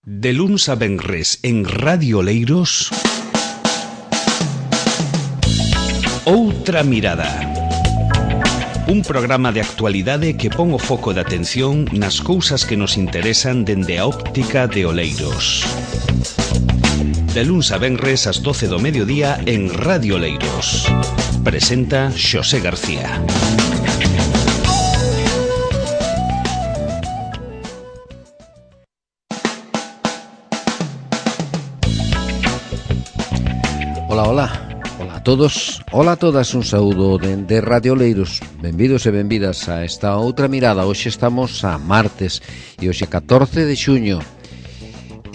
De luns a venres en Radio Oleiros, Outra Mirada. Un programa de actualidade que pon o foco de atención nas cousas que nos interesan dende a óptica de Oleiros. De luns a venres ás 12 do mediodía en Radio Oleiros. Presenta Xosé García. Ola a todos, ola a todas, un saúdo de Radio Oleiros. Benvidos e benvidas a esta outra mirada. Hoxe estamos a martes e hoxe 14 de xuño.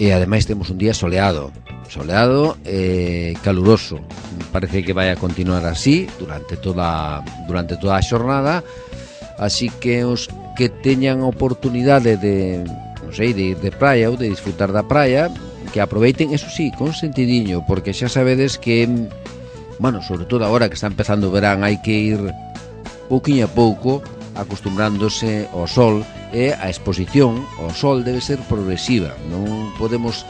E ademais temos un día soleado e caluroso. Parece que vai a continuar así durante toda a xornada. Así que os que teñan oportunidade de ir de praia ou de disfrutar da praia, que aproveiten, eso sí, con sentidiño, porque xa sabedes que, sobre todo agora que está empezando o verán, hai que ir pouquiño a pouco acostumbrándose ao sol, e a exposición ao sol debe ser progresiva. Non podemos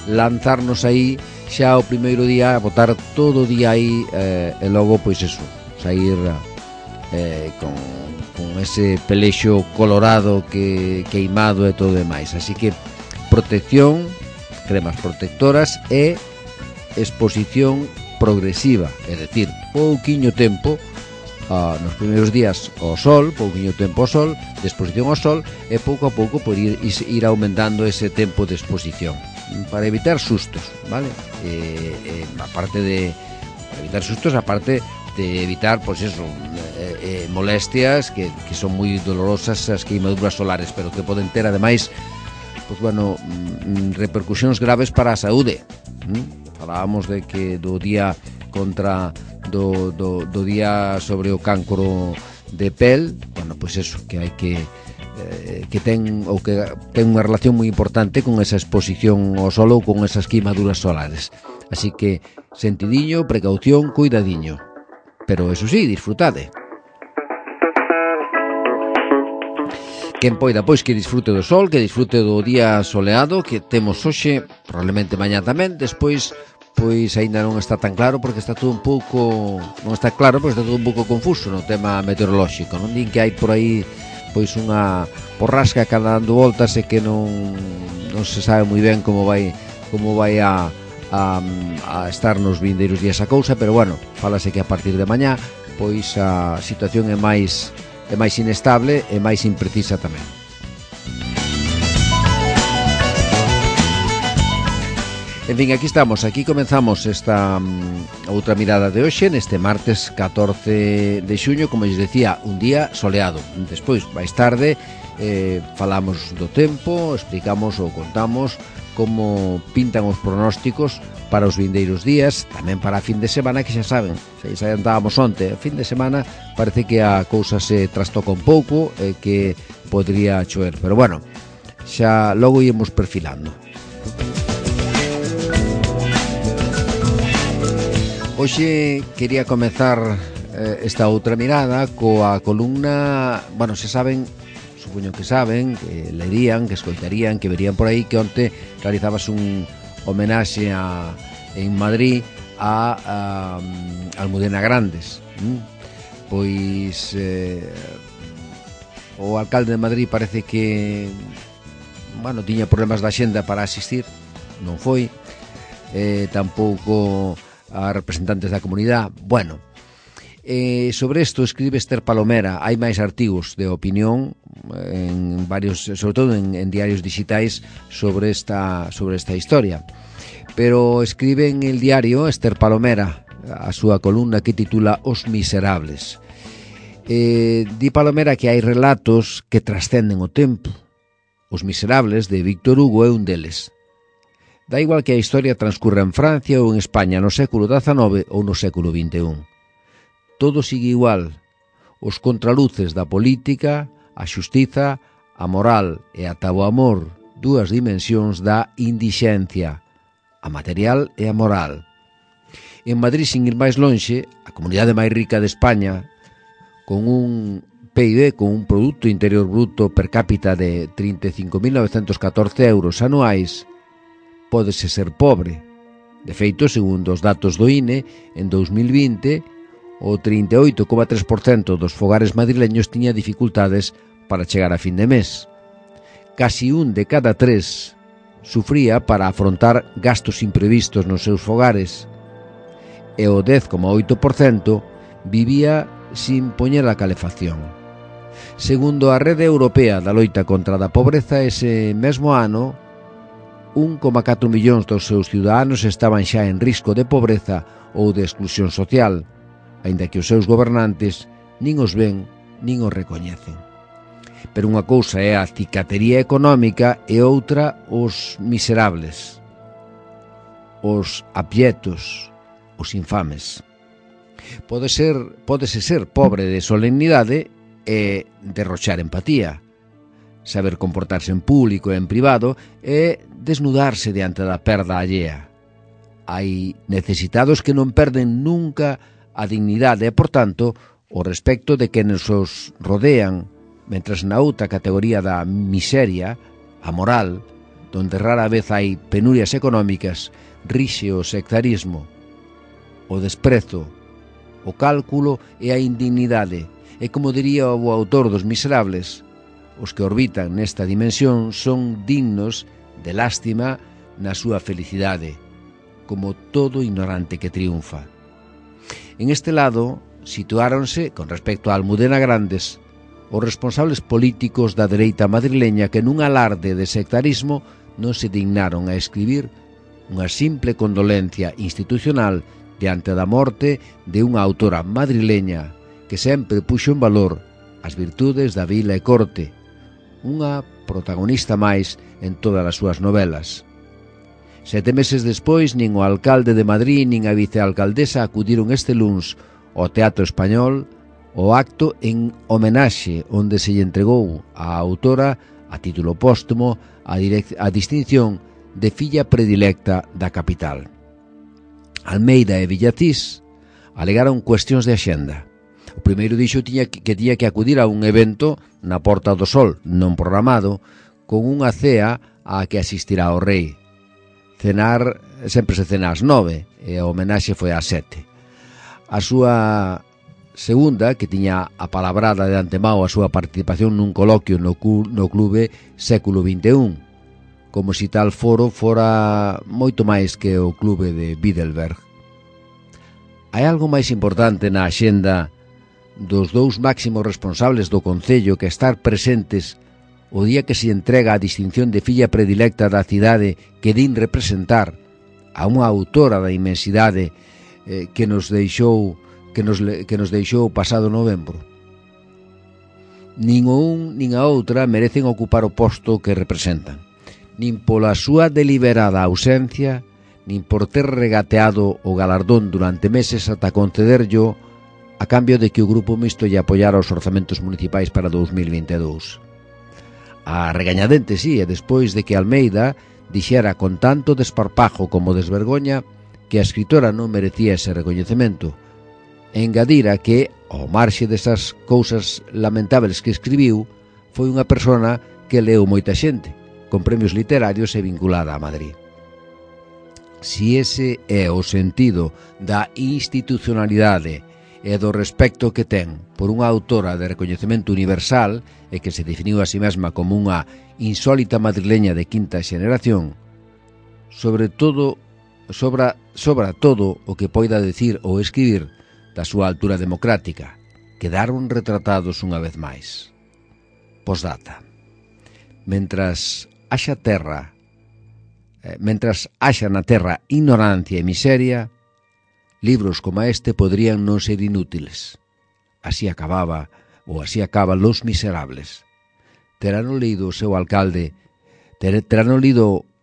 lanzarnos aí xa o primeiro día, a botar todo o día aí e logo, pois eso, sair con ese pelexo colorado queimado e todo demais. Así que protección, cremas protectoras e exposición progresiva, é dicir, pouquiño tempo nos primeiros días ao sol, pouquiño tempo ao sol, de exposición ao sol, e pouco a pouco por ir aumentando ese tempo de exposición para evitar sustos, vale? Aparte de evitar, pois eso, molestias que son moi dolorosas, as queimaduras solares, pero que poden ter ademais repercusións graves para a saúde. Falábamos de que do día do día sobre o cancro de pel, pois eso, que hai que ten unha relación moi importante con esa exposición ao sol ou con esas queimaduras solares. Así que sentidiño, precaución, cuidadiño. Pero eso sí, disfrutade. Quen poida, pois, que disfrute do sol, que disfrute do día soleado que temos hoxe, probablemente mañá tamén. Despois, pois, aínda non está tan claro, porque está todo un pouco confuso no tema meteorolóxico. Non din que hai por aí, pois, unha borrasca cada dando voltas e que non se sabe moi ben como vai a estar nos vindeiros días a cousa, pero fálase que a partir de mañá, pois, a situación é máis inestable e máis imprecisa tamén. En fin, aquí comenzamos esta outra mirada de hoxe, neste martes 14 de xuño, como lles decía, un día soleado. Despois, máis tarde, falamos do tempo, explicamos ou contamos como pintan os pronósticos para os vindeiros días, tamén para a fin de semana, que xa saben, xa andábamos onte, a fin de semana parece que a cousa se trastoca un pouco e que podría chover, pero xa logo íamos perfilando. Hoxe quería comezar esta outra mirada coa columna, xa saben, supoño que saben, que lerían, que escoitarían, que verían por aí que onte realizabas un homenaxe en Madrid a Almudena Grandes. Pois o alcalde de Madrid parece que tiña problemas da xenda para asistir, non foi, tampouco a representantes da comunidade. Sobre isto escribe Esther Palomera. Hai máis artigos de opinión en varios, sobre todo en diarios digitais, sobre esta historia. Pero escribe en el diario Esther Palomera a súa columna que titula Os Miserables. Di Palomera que hai relatos que trascenden o tempo. Os Miserables, de Víctor Hugo, é un deles. Da igual que a historia transcurra en Francia ou en España no século XIX ou no século XXI. Todo sigue igual. Os contraluces da política, a xustiza, a moral e ata o amor, dúas dimensións da indixencia, a material e a moral. En Madrid, sin ir máis lonxe, a comunidade máis rica de España, con un PIB, con un Producto Interior Bruto per cápita de 35.914 euros anuais, pódese ser pobre. De feito, segundo os datos do INE, en 2020, o 38,3% dos fogares madrileños tiña dificultades para chegar a fin de mes. Casi un de cada tres sufría para afrontar gastos imprevistos nos seus fogares e o 10,8% vivía sin poñer a calefacción. Segundo a Rede Europea da Loita contra a Pobreza, ese mesmo ano 1,4 millóns dos seus ciudadanos estaban xa en risco de pobreza ou de exclusión social, aínda que os seus gobernantes nin os ven nin os recoñecen. Pero unha cousa é a cicatería económica e outra os miserables, os abietos, os infames. Pódese ser pobre de solemnidade e derrochar empatía, saber comportarse en público e en privado e desnudarse diante da perda allea. Hai necesitados que non perden nunca a dignidade e, por tanto, o respecto de quenes os rodean, mentras na outra categoría da miseria, a moral, donde rara vez hai penurias económicas, rixe o sectarismo, o desprezo, o cálculo e a indignidade. E como diría o autor dos Miserables, os que orbitan nesta dimensión son dignos de lástima na súa felicidade, como todo ignorante que triunfa. En este lado situáronse, con respecto a Almudena Grandes, os responsables políticos da dereita madrileña que nun alarde de sectarismo non se dignaron a escribir unha simple condolencia institucional diante da morte de unha autora madrileña que sempre puxo en valor as virtudes da vila e corte, unha protagonista máis en todas as súas novelas. 7 meses despois, nin o alcalde de Madrid nin a vicealcaldesa acudiron este luns ao Teatro Español o acto en homenaxe onde se lle entregou á autora, a título póstumo, a distinción de filla predilecta da capital. Almeida e Villacís alegaron cuestións de axenda. O primeiro dixo que tiña que acudir a un evento na Porta do Sol, non programado, con unha cea a que asistirá o rei. Cenar, sempre se cena ás 9, e a homenaxe foi ás 7. A súa segunda, que tiña apalabrada de antemao a súa participación nun coloquio no clube Século XXI, como se tal foro fora moito máis que o clube de Bilderberg. Hai algo máis importante na axenda dos dous máximos responsables do Concello que estar presentes o día que se entrega a distinción de filla predilecta da cidade que din representar a unha autora da inmensidade que nos deixou o pasado novembro. Nin o un nin a outra merecen ocupar o posto que representan, nin pola súa deliberada ausencia, nin por ter regateado o galardón durante meses ata concederllo a cambio de que o Grupo Mixto lle apoiara os orzamentos municipais para 2022. A regañadente, sí, e despois de que Almeida dixera con tanto desparpajo como desvergoña que a escritora non merecía ese recoñecemento, e engadira que, ao marxe desas cousas lamentables que escribiu, foi unha persona que leu moita xente, con premios literarios e vinculada a Madrid. Si ese é o sentido da institucionalidade e do respecto que ten por unha autora de recoñecemento universal e que se definiu a si mesma como unha insólita madrileña de quinta xeneración, sobra todo o que poida decir ou escribir da súa altura democrática, quedaron retratados unha vez máis. Posdata. Mentras haxa na terra ignorancia e miseria, libros como este podrían non ser inútiles. Así acaba Los Miserables. Terán lido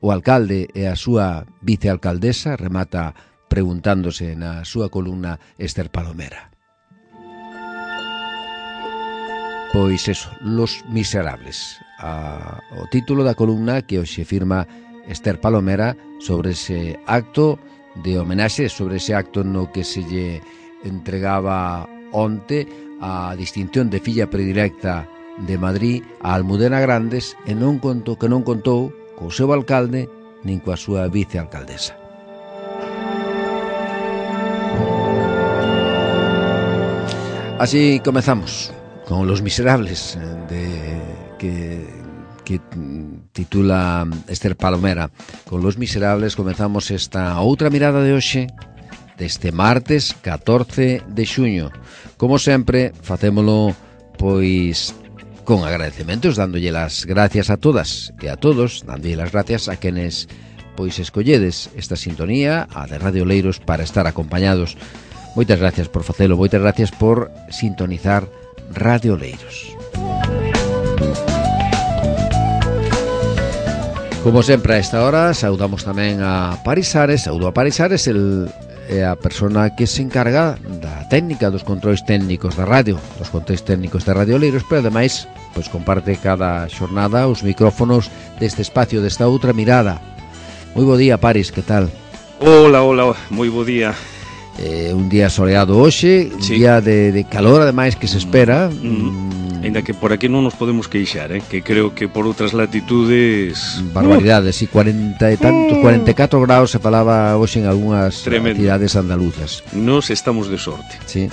o alcalde e a súa vicealcaldesa, remata preguntándose na súa columna Esther Palomera. Pois eso, Los Miserables, o título da columna que hoxe firma Esther Palomera sobre ese acto de homenaxe, sobre ese acto no que se lle entregaba onte a distinción de filla predilecta de Madrid a Almudena Grandes, e non contou co seu alcalde nin coa súa vicealcaldesa. Así comezamos con Los Miserables, que titula Esther Palomera. Con Los Miserables comezamos esta outra mirada de hoxe, deste martes 14 de xuño. Como sempre, facémolo pois con agradecementos, dándolle las gracias a todas e a todos, dándolle las gracias a quenes pois escolledes esta sintonía, a de Radio Oleiros, para estar acompañados. Moitas gracias por facelo, moitas gracias por sintonizar Radio Oleiros. Como sempre a esta hora, saudamos tamén a Paris Ares. Saudo a Paris Ares, é a persona que se encarga da técnica, dos controis técnicos da radio, dos controis técnicos da Radio Oleiros, pero ademais pois comparte cada xornada os micrófonos deste espacio, desta outra mirada. Moi bo día, Paris, que tal? Hola, moi bo día. Un día soleado hoxe, sí. Un día de calor ademais que se espera. Ainda que por aquí non nos podemos queixar, que creo que por outras latitudes... Barbaridades, e 40 e tantos, 44 graus se falaba hoxe en algunhas cidades andaluzas. Nos estamos de sorte. Sí.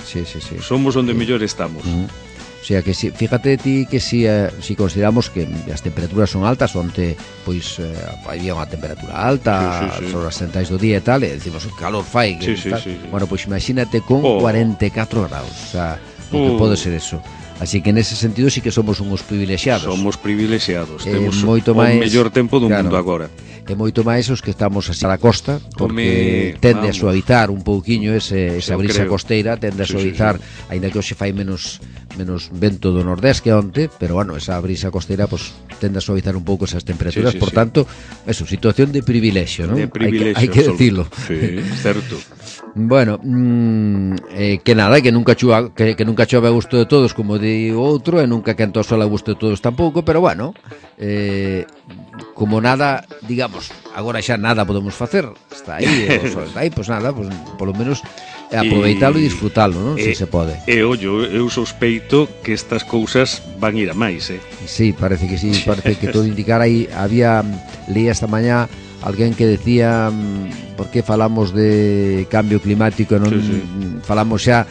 Somos onde mellor estamos. O sea que si, fíjate ti que si consideramos que as temperaturas son altas, onte pois había unha temperatura alta, sí. Sobre as centais do día e tal, e decimos que calor fai, que sí. Bueno, pois imagínate con 44 graus, o sea, o que pode ser eso. Así que nese sentido sí que somos uns privilexiados. Somos privilexiados, temos moito máis, o mellor tempo do mundo agora. E moito máis os que estamos a la costa, porque tende a suavizar un pouquiño esa brisa costeira, tende a suavizar, aínda que hoxe fai menos vento do nordés que onte, pero bueno, esa brisa costeira pues, tende a suavizar un pouco esas temperaturas, por tanto, eso, situación de privilexio, ¿no? De privilexio, hai que decirlo. Sí, certo. Bueno, que nada, que nunca chove a gusto de todos, como di outro, e nunca quenta o sol a gusto de todos tampouco, pero bueno, como nada, digamos, agora xa nada podemos facer, está aí, o sol está aí, pois nada, pues, polo menos aproveitalo e disfrutalo, non? Se se pode. Ollo, eu sospeito que estas cousas van ir a máis, Sí, parece que sí, parece que todo indicara aí. Leía esta mañá alguén que decía por que falamos de cambio climático e non falamos xa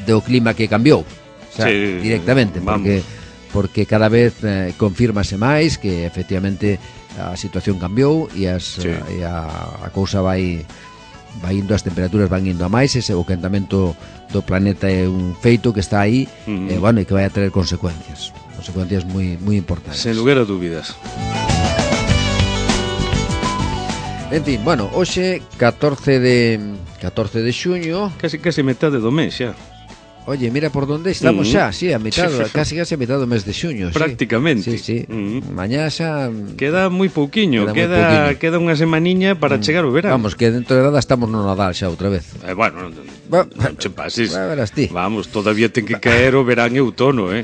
do clima que cambiou, o sea, directamente, porque cada vez confírmase máis que efectivamente a situación cambiou e a cousa vai indo, as temperaturas van indo a máis, ese o quentamento do planeta é un feito que está aí, e bueno, e que vai a traer consecuencias moi importantes. Sen lugar a dúbidas. En fin, bueno, hoxe 14 de xuño, casi metade do mes xa. Oye, mira por onde estamos xa, a mitad, casi a mitad do mes de xuño, prácticamente. Sí. Mañá xa queda moi pouquiño, queda unha semaniña para chegar o verano. Vamos, que dentro de nada estamos no Nadal xa outra vez. Bueno, non che pases. Vamos, todavía ten que caer o verán e outono,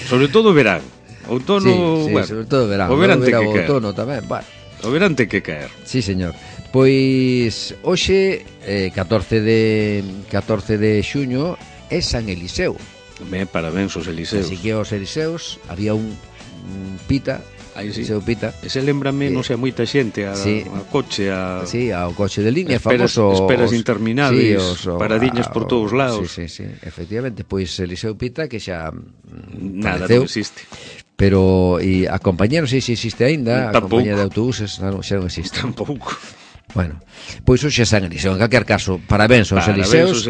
Sobre todo o verán. Outono, bueno, sobre todo o verán. O verán ten que caer. Outono tamén, bueno. O verán ten que caer. Sí, señor. Pois hoxe 14 de xuño é San Eliseo. Parabéns aos Eliseos. Así que aos Eliseos había un Pita, Eliseo Pita. Ese lembrame, non sei, moita xente a coche, ao coche de línea, famoso. Esperas interminables, paradiñas por todos lados. Sí, efectivamente, pois Eliseo Pita que xa nada, non existe. Pero a compañía non sei se existe aínda, a compañía de autobuses, xa non existe. Tampouco. Bueno, pois hoxe é San Eliseo. En calquer caso, parabéns aos Eliseos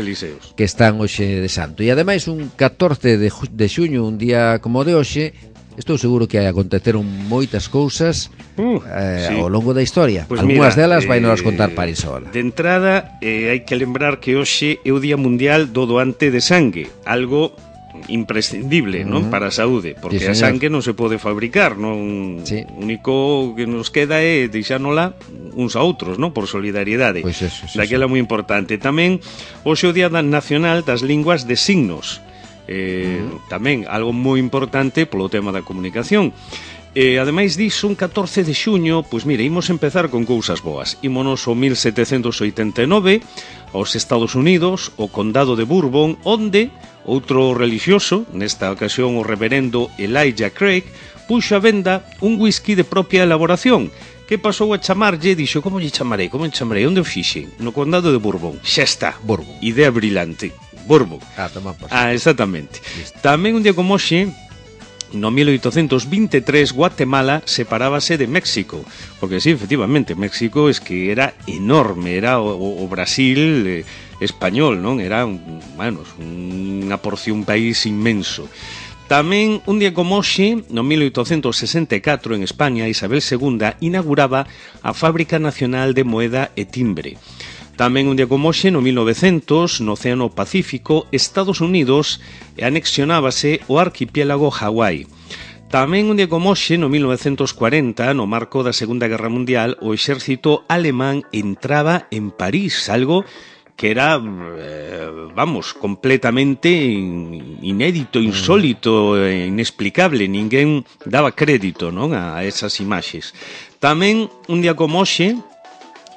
que están hoxe de santo. E ademais un 14 de xuño, un día como de hoxe, estou seguro que aconteceron moitas cousas ao longo da historia. Pues algunhas delas vai nos contar Parisola. De entrada, hai que lembrar que hoxe é o Día Mundial do Doante de Sangue, algo imprescindible, non, para a saúde, porque a sangue non se pode fabricar, non. O único que nos queda é deixánola uns a outros, non, por solidariedade. Pois eso, daquela moi importante. Tamén hoxe o Día Nacional das Linguas de Signos. Tamén algo moi importante polo tema da comunicación. Ademais disso, un 14 de xuño, pois mire, imos empezar con cousas boas. Ímonos ao 1789 aos Estados Unidos, o condado de Bourbon, onde outro relixioso, nesta ocasión o reverendo Elijah Craig, puxo a venda un whisky de propia elaboración, que pasou a chamarlle, dixo, como lle chamarei? Onde o fixen? No condado de Bourbon. Xa está. Bourbon. Idea brillante. Bourbon. Toma por exactamente. Listo. Tamén un día como hoxe, no 1823, Guatemala separábase de México, porque sí, efectivamente, México es que era enorme, era o Brasil español, non? Era unha porción país inmenso. Tamén, un día como hoxe, no 1864, en España, Isabel II inauguraba a Fábrica Nacional de Moeda e Timbre. Tamén, un día como hoxe, no 1900, no Océano Pacífico, Estados Unidos anexionábase o arquipiélago Hawái. Tamén, un día como hoxe, no 1940, no marco da Segunda Guerra Mundial, o exército alemán entraba en París, algo que era, completamente inédito, insólito, inexplicable. Ninguén daba crédito, non, a esas imaxes. Tamén, un día como hoxe,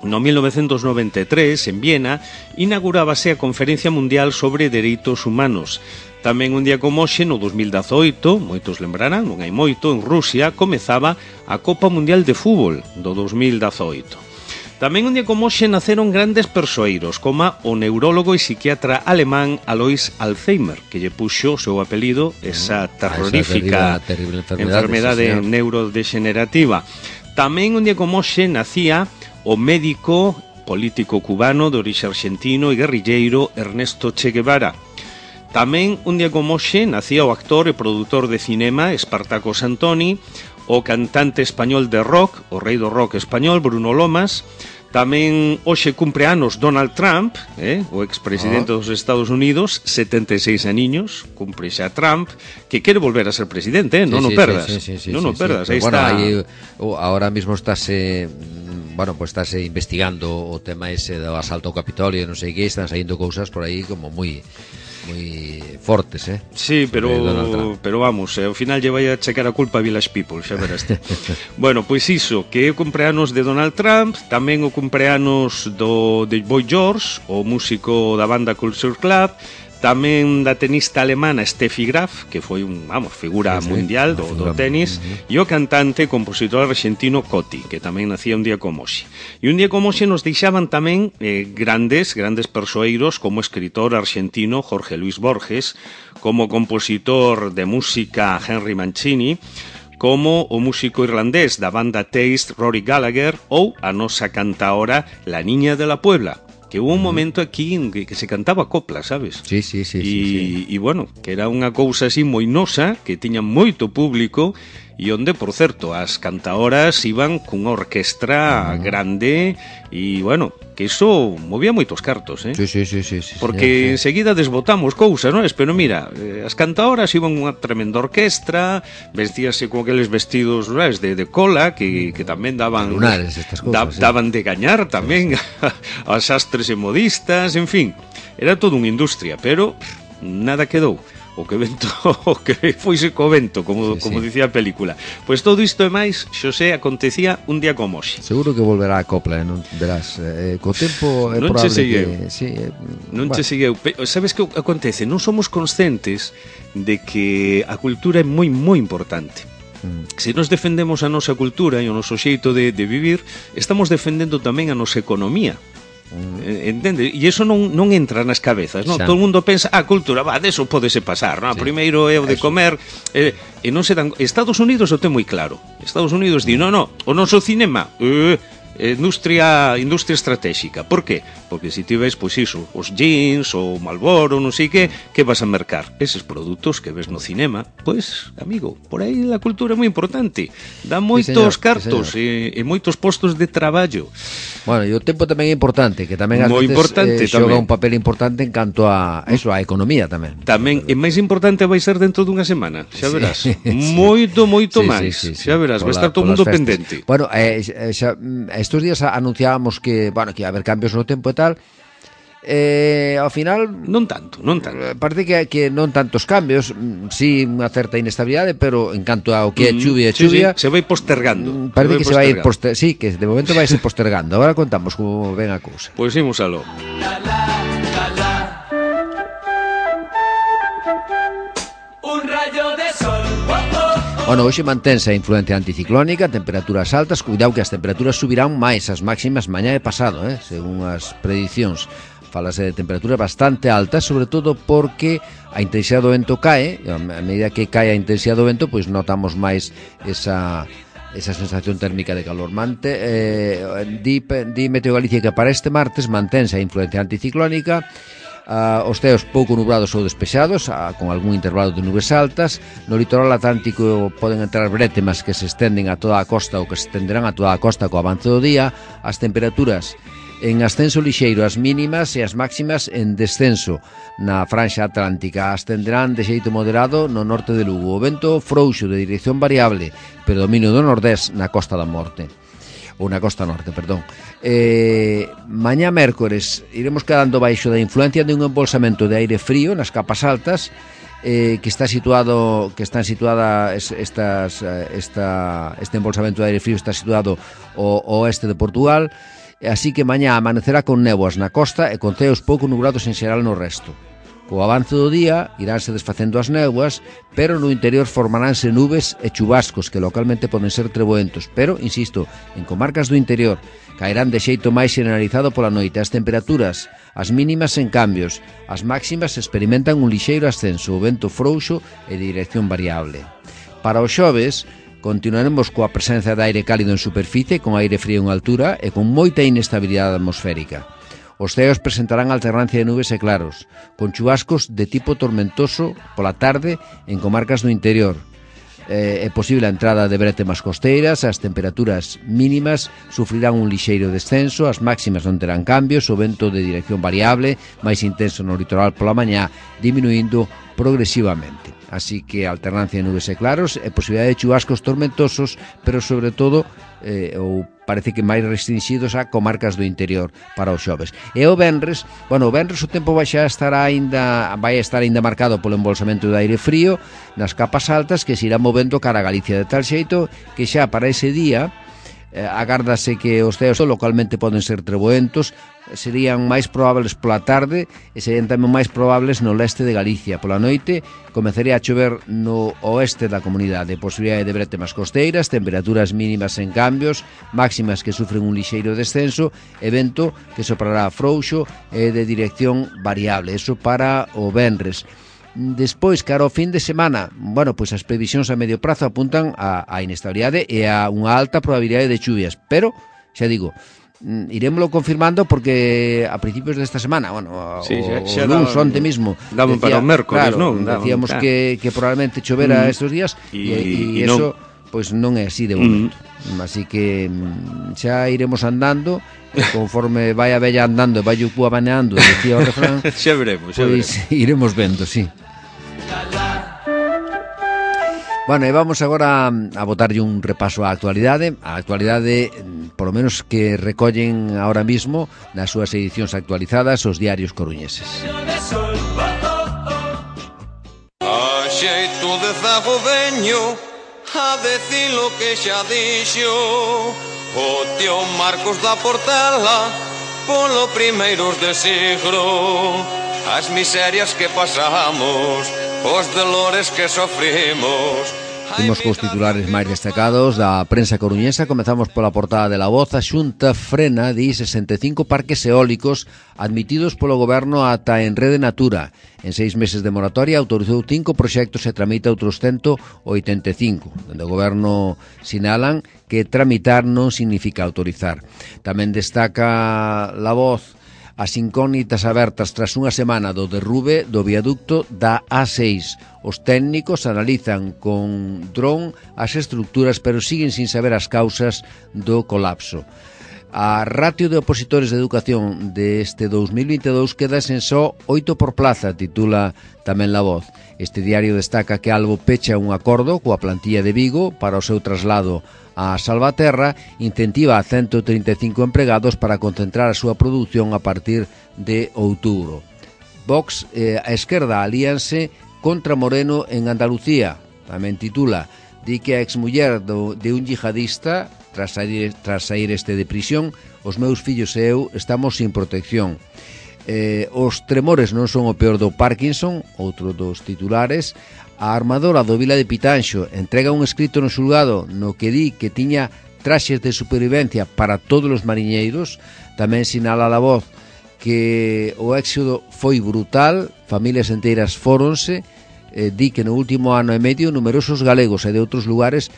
no 1993, en Viena, inaugurábase a Conferencia Mundial sobre Dereitos Humanos. Tamén un día como hoxe, no 2018, moitos lembrarán, non hai moito, en Rusia, comezaba a Copa Mundial de Fútbol do 2018. Tamén un día como hoxe naceron grandes persoeiros, como o neurólogo e psiquiatra alemán Alois Alzheimer, que lle puxo o seu apelido esa terrorífica terrible enfermedade neurodegenerativa. Tamén un día como hoxe nacía o médico político cubano de orixe argentino e guerrilleiro Ernesto Che Guevara. Tamén un día como hoxe nacía o actor e produtor de cinema Espartaco Santoni, o cantante español de rock, o rei do rock español, Bruno Lomas. Tamén hoxe cumpre anos Donald Trump, o expresidente dos Estados Unidos, 76 aniños, cumpre xa Trump, que quere volver a ser presidente, non o perdas. Non o perdas, aí está. Ahora mismo estáse investigando o tema ese do asalto ao Capitolio, non sei que, están saindo cousas por aí como moi fortes, Sí, pero vamos, ao final lle vai a checar a culpa a Village People, xa verás. Bueno, pois iso, que é o cumpleanos de Donald Trump, tamén o cumpleanos de Boy George, o músico da banda Culture Club, tamén da tenista alemana Steffi Graf, que foi figura mundial do tenis, e o cantante e compositor argentino Coti, que tamén nacía un día como hoxe. E un día como hoxe nos deixaban tamén grandes persoeiros, como o escritor argentino Jorge Luis Borges, como compositor de música Henry Mancini, como o músico irlandés da banda Taste Rory Gallagher, ou a nosa cantaora La Niña de la Puebla, que hubo un momento aquí en que se cantaba copla, sabes? Sí. E bueno, que era unha cousa así moi nosa, que tiña moito público, e onde, por certo, as cantaoras iban cunha orquestra grande, e bueno, que iso movía moitos cartos, Sí. Porque enseguida desbotamos cousas, non? Pero mira, as cantaoras iban unha tremenda orquestra, vestíase con aqueles vestidos de cola, que tamén daban lunares, estas cousas, daban de gañar tamén a sastres e modistas, en fin, era toda unha industria, pero nada quedou. O que foise co vento, como dicía a película. Pois todo isto e máis, Xosé, acontecía un día como hoxe. Seguro que volverá a copla, non verás. Co tempo é non probable non che segueu. Sabes que acontece? Non somos conscientes de que a cultura é moi importante. Se nos defendemos a nosa cultura e o noso xeito de vivir, estamos defendendo tamén a nosa economía. Entende? E iso non entra nas cabezas, non? Todo o mundo pensa, cultura, deso pódese pasar, non? Primeiro é o de comer, e non se dan. Estados Unidos o ten moi claro. Estados Unidos di, no, o noso cinema industria estratégica. Por qué? Porque se ti ves, pois iso, os jeans, o Marlboro, non sei que vas a mercar? Eses produtos que ves no cinema, pois, amigo, por aí a cultura é moi importante. Dá moitos cartos e moitos postos de traballo. Bueno, e o tempo tamén é importante, que tamén ás veces xoga un papel importante en canto a eso, a economía tamén. Tamén, e máis importante vai ser dentro dunha semana, xa verás. Moito máis, xa verás, vai estar todo o mundo pendente. Bueno, estos días anunciábamos que a haber cambios no tempo e tal. Ao final non tanto. Parece que non tantos cambios, sí unha certa inestabilidade, pero en canto ao que é chuvia, se vai postergando. Parece que se vai sí, que de momento vai se postergando. Agora contamos como ven a cousa. Pois imos aló. Un rayo de sol, Bueno, hoxe mantense a influencia anticiclónica, temperaturas altas, cuidado que as temperaturas subirán máis, as máximas mañá e pasado, según as predicións. Falase de temperaturas bastante altas, sobre todo porque a intensidade do vento cae, a medida que cae a intensidade do vento, pois notamos máis esa sensación térmica de calor. Di Meteo Galicia que para este martes mantense a influencia anticiclónica, os ceos pouco nublados ou despexados, con algún intervalo de nubes altas. No litoral atlántico poden entrar brétemas que se estenden a toda a costa ou que se estenderán a toda a costa co avance do día. As temperaturas en ascenso lixeiro, as mínimas e as máximas en descenso na franxa atlántica. Ascenderán de xeito moderado no norte de Lugo. O vento frouxo de dirección variable, predominio do nordés na Costa da Morte, ou na Costa Norte, perdón. Mañá mércores iremos quedando baixo da influencia de un embolsamento de aire frío nas capas altas, este embolsamento de aire frío está situado ao oeste de Portugal, así que mañá amanecerá con néboas na costa e con ceos pouco nublados en xeral no resto. Co avance do día iránse desfacendo as néboas, pero no interior formaránse nubes e chubascos que localmente poden ser treboentos, pero, insisto, en comarcas do interior caerán de xeito máis generalizado pola noite. As temperaturas, as mínimas en cambios, as máximas experimentan un lixeiro ascenso, o vento frouxo e de dirección variable. Para o xoves, continuaremos coa presenza de aire cálido en superficie, con aire frío en altura e con moita inestabilidade atmosférica. Os ceos presentarán alternancia de nubes e claros, con chubascos de tipo tormentoso pola tarde en comarcas do interior. É posible a entrada de brétemas costeiras, as temperaturas mínimas sufrirán un lixeiro descenso, as máximas non terán cambios, o vento de dirección variable, máis intenso no litoral pola mañá, diminuindo progresivamente. Así que alternancia de nubes e claros e posibilidade de chubascos tormentosos, pero sobre todo ou parece que máis restringidos a comarcas do interior para os xoves. E o venres o tempo vai estar ainda marcado polo embolsamento de aire frío nas capas altas que se irá movendo cara a Galicia de tal xeito que xa para ese día agárdase que os ceos localmente poden ser treboentos, serían máis probables pola tarde e serían tamén máis probables no leste de Galicia. Pola noite comezaría a chover no oeste da comunidade, posibilidade de brétemas costeiras, temperaturas mínimas en cambios, máximas que sufren un lixeiro descenso e vento que soprará frouxo e de dirección variable. Eso para o venres. Despois, cara ao fin de semana, pois as previsións a medio prazo apuntan a inestabilidade e a unha alta probabilidade de chuvias, pero, xa digo, irémoslo confirmando porque a principios desta semana, o luns, onte mismo, daban para o mércores, claro, decíamos que probablemente chovera estes días e eso pois non é así de momento. Así que xa iremos andando conforme vai a vella andando e vai o cúa baneando, decía o refrán. Xa veremos. Iremos vendo, sí. Bueno, e vamos agora a botarlle un repaso á actualidade, polo menos que recollen ahora mismo nas súas edicións actualizadas os diarios coruñeses. A xeito de zago veño a decir lo que xa dixo o tío Marcos da Portela polo primeiros de siglo, as miserias que pasamos, os dolores que sofrimos. Imos cos titulares máis destacados da prensa coruñesa. Comezamos pola portada de La Voz. A Xunta frena, di, 65 parques eólicos admitidos polo goberno ata en Rede Natura. En 6 meses de moratoria autorizou 5 proxectos e tramita outros 185. Dende o goberno sinalan que tramitar non significa autorizar. Tamén destaca La Voz as incógnitas abertas tras unha semana do derrube do viaducto da A6. Os técnicos analizan con dron as estructuras, pero siguen sin saber as causas do colapso. A ratio de opositores de educación deste 2022 queda en só 8 por plaza, titula tamén La Voz. Este diario destaca que Albo pecha un acordo coa plantilla de Vigo para o seu traslado a Salvaterra, incentiva a 135 empregados para concentrar a súa produción a partir de outubro. Vox e a esquerda alíanse contra Moreno en Andalucía, tamén titula, di que a exmuller de un yihadista, tras sair este de prisión, os meus fillos e eu estamos sin protección. Os tremores non son o peor do Parkinson, outro dos titulares. A armadora do Vila de Pitanxo entrega un escrito no xulgado no que di que tiña traxes de supervivencia para todos os mariñeiros. Tamén sinala a voz que o éxodo foi brutal, familias enteiras fóronse. Di que no último ano e medio numerosos galegos e de outros lugares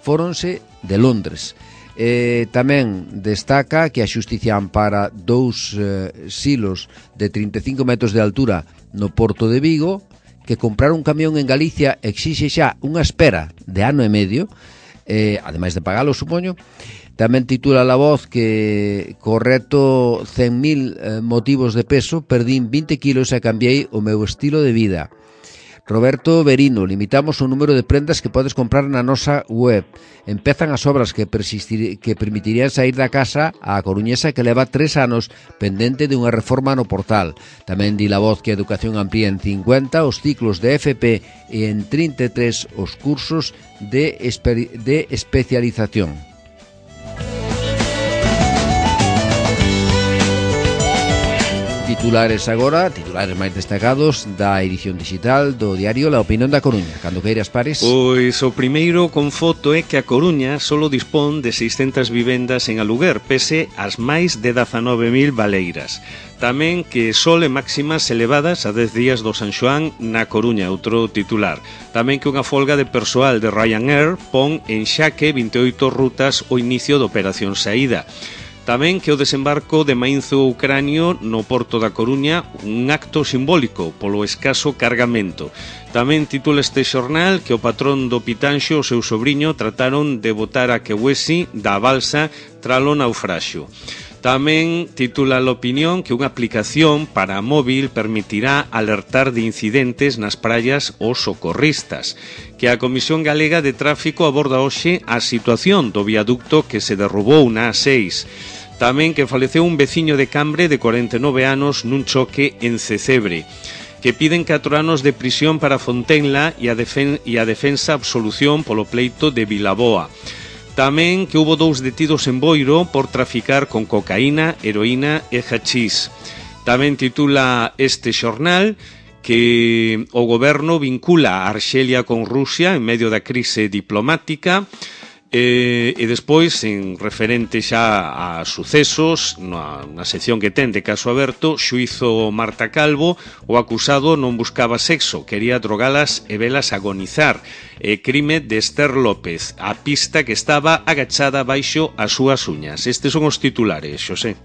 fóronse de Londres. Tamén destaca que a xustiza ampara 2 silos de 35 metros de altura no porto de Vigo, que comprar un camión en Galicia exixe xa unha espera de ano e medio, ademais de pagalo, supoño. Tamén titula La Voz que correcto 100.000 motivos de peso, perdín 20 kilos e cambiei o meu estilo de vida. Roberto Berino, limitamos o número de prendas que podes comprar na nosa web. Empezan as obras que permitirían sair da casa a coruñesa que leva 3 anos pendente de unha reforma no portal. Tamén di La Voz que a educación amplía en 50 os ciclos de FP e en 33 os cursos de especialización. Titulares agora, titulares máis destacados da edición digital do diario La Opinión da Coruña. Cando queiras, Pares. Pois o primeiro con foto é que a Coruña solo dispón de 600 vivendas en aluguer, pese ás máis de 19.000 baleiras. Tamén que sole máximas elevadas a 10 días do San Xoán na Coruña, outro titular. Tamén que unha folga de persoal de Ryanair pon en xaque 28 rutas o inicio da operación saída. Tamén que o desembarco de mainzo ucranio no porto da Coruña un acto simbólico polo escaso cargamento. Tamén titula este xornal que o patrón do Pitanxo e o seu sobriño trataron de botar a Quewesi da balsa tralo naufraxio. Tamén titula La Opinión que unha aplicación para móvil permitirá alertar de incidentes nas praias aos socorristas, que a Comisión Galega de Tráfico aborda hoxe a situación do viaducto que se derrubou na A6. Tamén que faleceu un veciño de Cambre de 49 anos nun choque en Cecebre, que piden 4 anos de prisión para Fontenla e a defensa absolución polo pleito de Vilaboa. Tamén que houbo 2 detidos en Boiro por traficar con cocaína, heroína e hachís. Tamén titula este xornal que o goberno vincula a Arxelia con Rusia en medio da crise diplomática. E despois, en referente xa a sucesos, na sección que ten de caso aberto, xuízo Marta Calvo, o acusado non buscaba sexo, quería drogalas e velas agonizar. Crime de Esther López, a pista que estaba agachada baixo as súas uñas. Estes son os titulares, Xosé.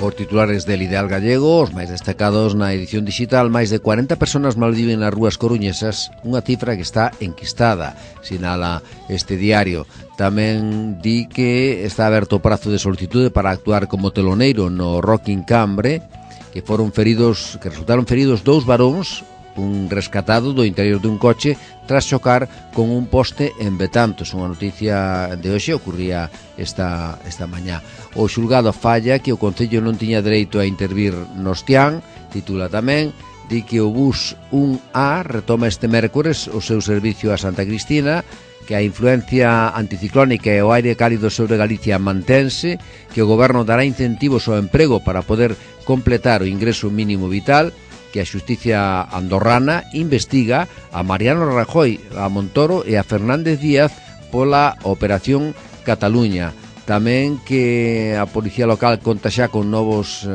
Os titulares del Ideal Gallego, os máis destacados na edición digital, máis de 40 personas malviven nas rúas coruñesas, unha cifra que está enquistada, sinala este diario. Tamén di que está aberto o prazo de solicitude para actuar como teloneiro no Rock in Cambre, que resultaron feridos 2 varóns, un rescatado do interior dun coche tras chocar con un poste en Betantos. Unha noticia de hoxe ocurría esta mañá. O xulgado falla que o Concello non tiña dereito a intervir no Ostián, titula tamén, di que o bus 1A retoma este mércores o seu servicio a Santa Cristina, que a influencia anticiclónica e o aire cálido sobre Galicia mantense, que o goberno dará incentivos ao emprego para poder completar o ingreso mínimo vital, que a xustiza andorrana investiga a Mariano Rajoy, a Montoro e a Fernández Díaz pola Operación Cataluña. Tamén que a Policía Local conta xa con novas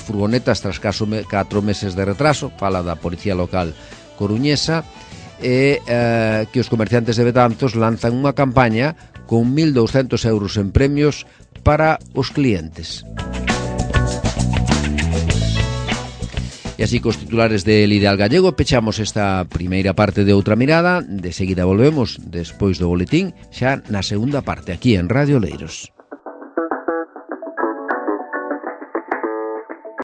furgonetas tras 4 meses de retraso, fala da Policía Local coruñesa, e que os comerciantes de Betanzos lanzan unha campaña con 1.200 euros en premios para os clientes. E así cos titulares del Ideal Gallego pechamos esta primeira parte de Outra Mirada. De seguida volvemos despois do boletín xa na segunda parte aquí en Radio Oleiros.